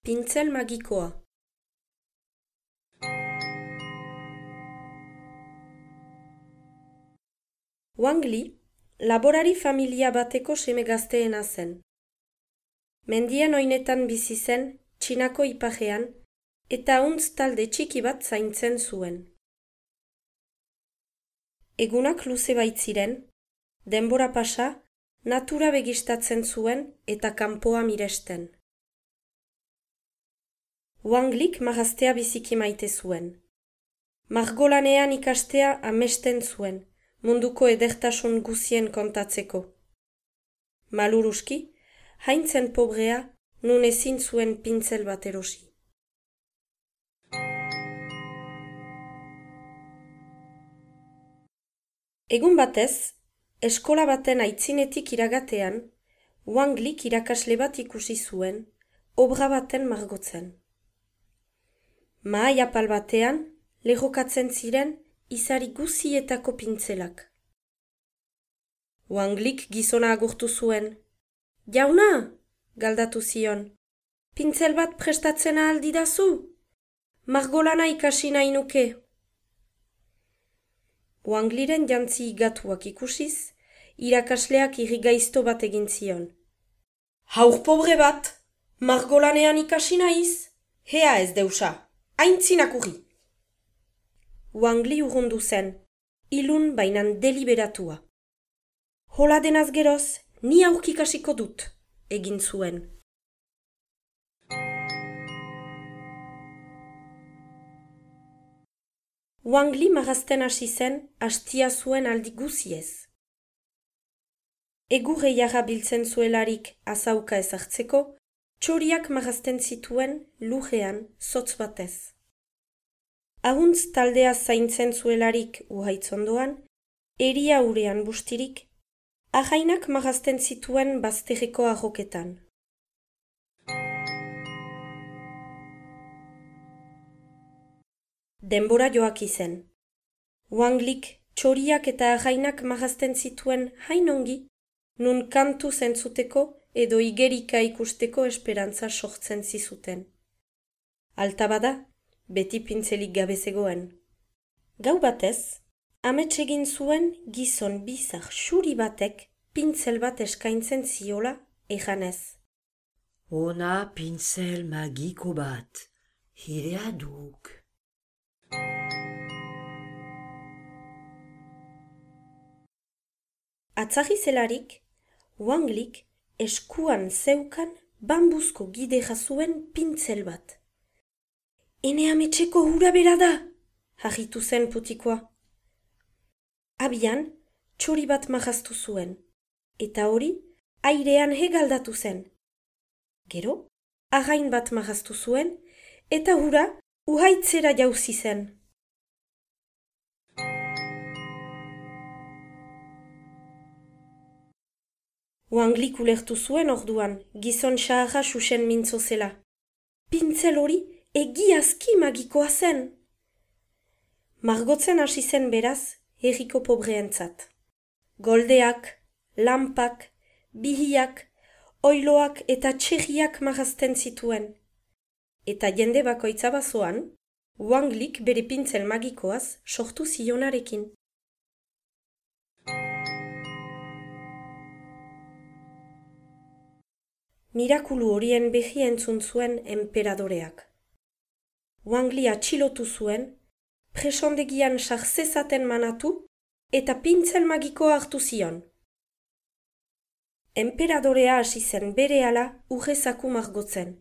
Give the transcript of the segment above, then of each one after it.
Pintzel magikoa. Wang Li, laborari familia bateko seme gazteena zen. Mendien oinetan bizi zen, Txinako ipajean, eta huntz talde txiki bat zaintzen zuen. Egunak luze baitziren, denbora pasa, natura begistatzen zuen eta kanpoa miresten. Wang Lik margaztea biziki maite zuen. Margolanean ikastea amesten zuen, munduko edertasun guzien kontatzeko. Maluruski, haintzen pobrea, nun ezin zuen pintzel bat erosi. Egun batez, eskola baten aitzinetik iragatean, Wang Lik irakasle bat ikusi zuen, obra baten margotzen. Mahai apal batean, lehokatzen ziren izari guzietako pintzelak. Wang Lik gizona agurtu zuen. Jauna, galdatu zion, pintzel bat prestatzen ahal didazu? Margolana ikasi nahi nuke. Wang Liren jantzi igatuak ikusiz, irakasleak irrigaizto bat egin zion. Haur pobre bat, margolanean ikasi nahiz? Hea ez deusa, aintzinak urri. Wang Li urrundu zen, ilun bainan deliberatua. Hola denaz geroz, ni aurkikasiko dut, egin zuen. Wang Li marrazten hasi zen, hastia zuen aldi guziez. Egurre jarra biltzen zuelarik azauka ezartzeko, txoriak marrazten zituen lurrean zotz batez. Ahuntz taldea zaintzen zuelarik uhaitzondoan, eria urean bustirik, ahainak marrazten zituen bazterreko arroketan. Denbora joak izen. Wang Lik txoriak eta ahainak marrazten zituen hainongi, nun kantu zentzuteko edo igerika ikusteko esperantza sortzen zizuten. Alta bada, beti pintzelik gabe zegoen. Gau batez, amets egin zuen gizon bizar xuri batek pintzel bat eskaintzen ziola ejanez. Ona pintzel magiko bat, hirea duk. Atzagi zelarik, Wang Lik eskuan zeukan bambuzko gide jazuen pintzel bat. Ene ametseko hura bera da, harritu zen putikoa. Abian, txori bat marraztu zuen, eta hori, airean hegaldatu zen. Gero, arrain bat marraztu zuen, eta hura uhaitzera jauzi zen. Wang Lik ulertu zuen orduan, gizon xaharra xuxen mintzo zela. Pintzel hori egiazki magikoa zen. Margotzen hasi zen beraz, herriko pobreentzat. Goldeak, lampak, bihiak, oiloak eta txerriak marrazten zituen. Eta jende bakoitza bazoan, Wang Lik bere pintzel magikoaz sortu zionarekin. Mirakulu horien behi entzun zuen enperadoreak. Wang Li atxilotu zuen, presondegian sarzezaten manatu eta pintzel magikoa hartu zion. Enperadorea hasi zen berehala urrezaku margotzen.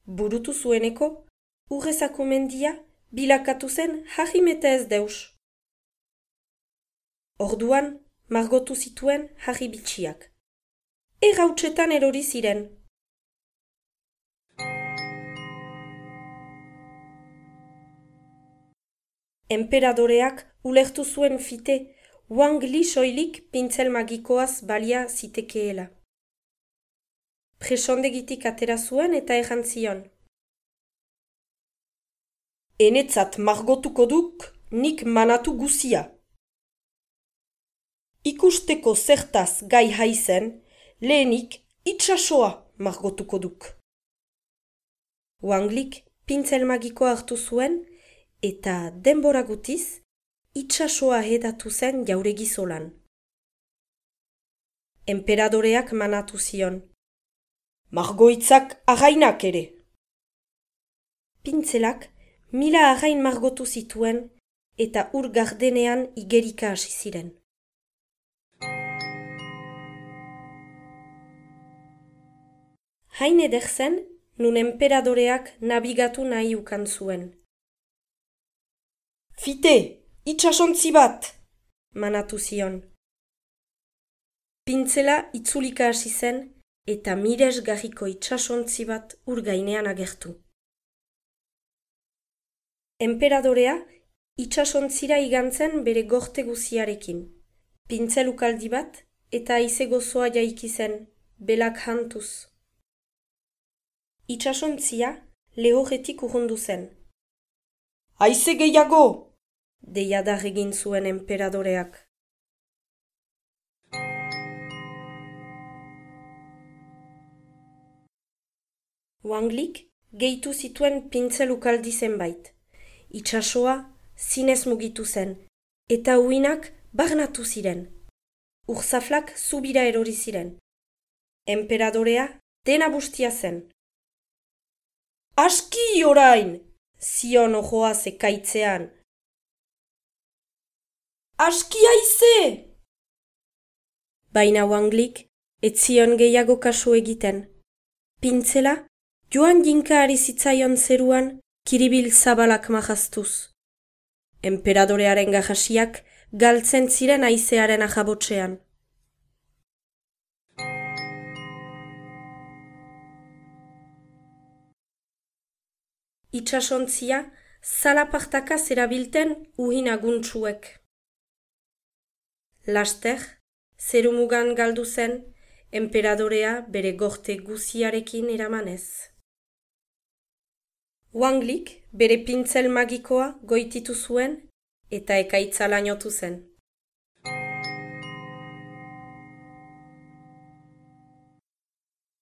Burutu zueneko, urrezaku mendia bilakatu zen harrimeta ez deus. Orduan, margotu zituen harri bitxiak. Errautsetan erori ziren. Enperadoreak ulertu zuen fite Wang Li soilik pintzel magikoaz balia zitekeela. Presondegitik atera zuen eta erran zion. Enetzat margotuko duk nik manatu guzia. Ikusteko zertaz gai haizen, lehenik itsasoa margotuko duk. Wanglik pintzel magikoa hartu zuen, eta denbora gutiz, itsasoa hedatu zen jauregi zolan. Enperadoreak manatu zion. Margoitzak arrainak ere! Pintzelak 1000 arrain margotu zituen eta ur gardenean igerika hasi ziren. Hain eder zen, nun enperadoreak nabigatu nahi ukan zuen. Fite, itsasontzi bat! Manatu zion. Pintzela itzulika hasi zen eta miresgarriko itsasontzi bat ur gainean agertu. Enperadorea itsasontzira igantzen bere gorte guziarekin. Pintzel ukaldi bat eta haize gozoa jaiki zen, belak hantuz. Itsasontzia lehorretik urrundu zen. Haize gehiago! Deiadar egin zuen enperadoreak. Wanglik gehitu zituen pintzel ukaldi zenbait. Itsasoa zinez mugitu zen, eta uinak barnatu ziren. Urzaflak zubira erori ziren. Enperadorea dena bustia zen. Aski orain! Zion ojoa zekaitzean. Aski haize! Baina Wanglik ez zion gehiago kasu egiten. Pintzela joan jinka ari zitzaion zeruan kiribil zabalak majaztuz. Enperadorearen gajasiak galtzen ziren haizearen ajabotsean. Itsasontzia zalapartaka zerabilten uhin aguntsuek. Laster, zerumugan galdu zen, enperadorea bere gorte guziarekin eramanez. Wanglik bere pintzel magikoa goititu zuen eta ekaitza lainotu zen.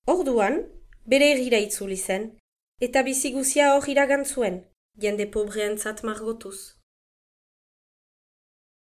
Orduan, bere herrira itzuli zen, eta bizi guzia hor iragan zuen, jende pobreentzat margotuz.